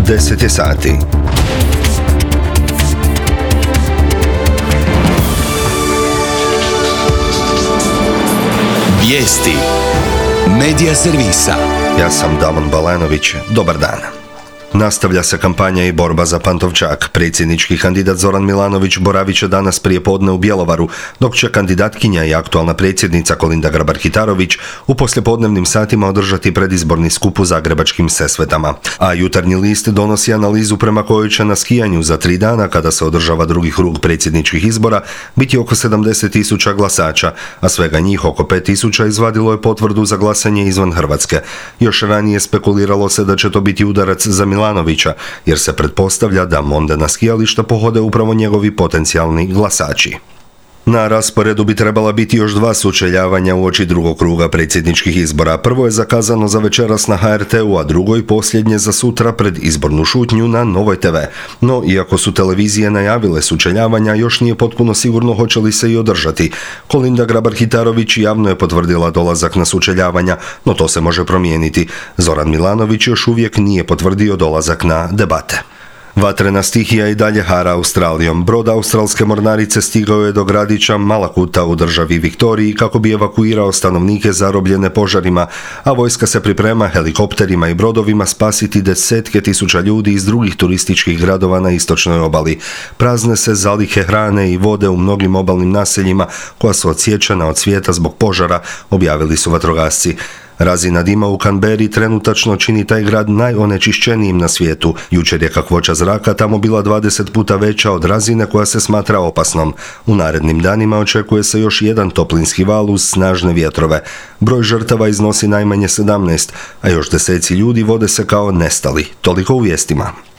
10 je sati. Vijesti Medija servisa. Ja sam Damon Balanović. Dobar dan. Nastavlja se kampanja i borba za Pantovčak. Predsjednički kandidat Zoran Milanović boravit će danas prije podne u Bjelovaru, dok će kandidatkinja i aktualna predsjednica Kolinda Grabar-Kitarović u poslijepodnevnim satima održati predizborni skup u zagrebačkim Sesvetama. A Jutarnji list donosi analizu prema kojoj će na skijanju za 3 dana, kada se održava drugi krug predsjedničkih izbora, biti oko 70.000 glasača, a svega njih oko 5.000 izvadilo je potvrdu za glasanje izvan Hrvatske. Još ranije spekuliralo se da će to biti udarac za Milanovića, jer se pretpostavlja da mondena skijališta pohode upravo njegovi potencijalni glasači. Na rasporedu bi trebala biti još 2 sučeljavanja uoči drugog kruga predsjedničkih izbora. Prvo je zakazano za večeras na HRT-u, a drugo i posljednje za sutra pred izbornu šutnju na Novoj TV. No, iako su televizije najavile sučeljavanja, još nije potpuno sigurno hoće li se i održati. Kolinda Grabar-Kitarović javno je potvrdila dolazak na sučeljavanja, no to se može promijeniti. Zoran Milanović još uvijek nije potvrdio dolazak na debate. Vatrena stihija i dalje hara Australijom. Brod australske mornarice stigao je do gradića Malakuta u državi Viktoriji kako bi evakuirao stanovnike zarobljene požarima, a vojska se priprema helikopterima i brodovima spasiti desetke tisuća ljudi iz drugih turističkih gradova na istočnoj obali. Prazne se zalihe hrane i vode u mnogim obalnim naseljima koja su odsječena od svijeta zbog požara, objavili su vatrogasci. Razina dima u Canberri trenutačno čini taj grad najonečišćenijim na svijetu. Jučer je kakvoća zraka tamo bila 20 puta veća od razine koja se smatra opasnom. U narednim danima očekuje se još jedan toplinski val uz snažne vjetrove. Broj žrtava iznosi najmanje 17, a još deseci ljudi vode se kao nestali. Toliko u vijestima.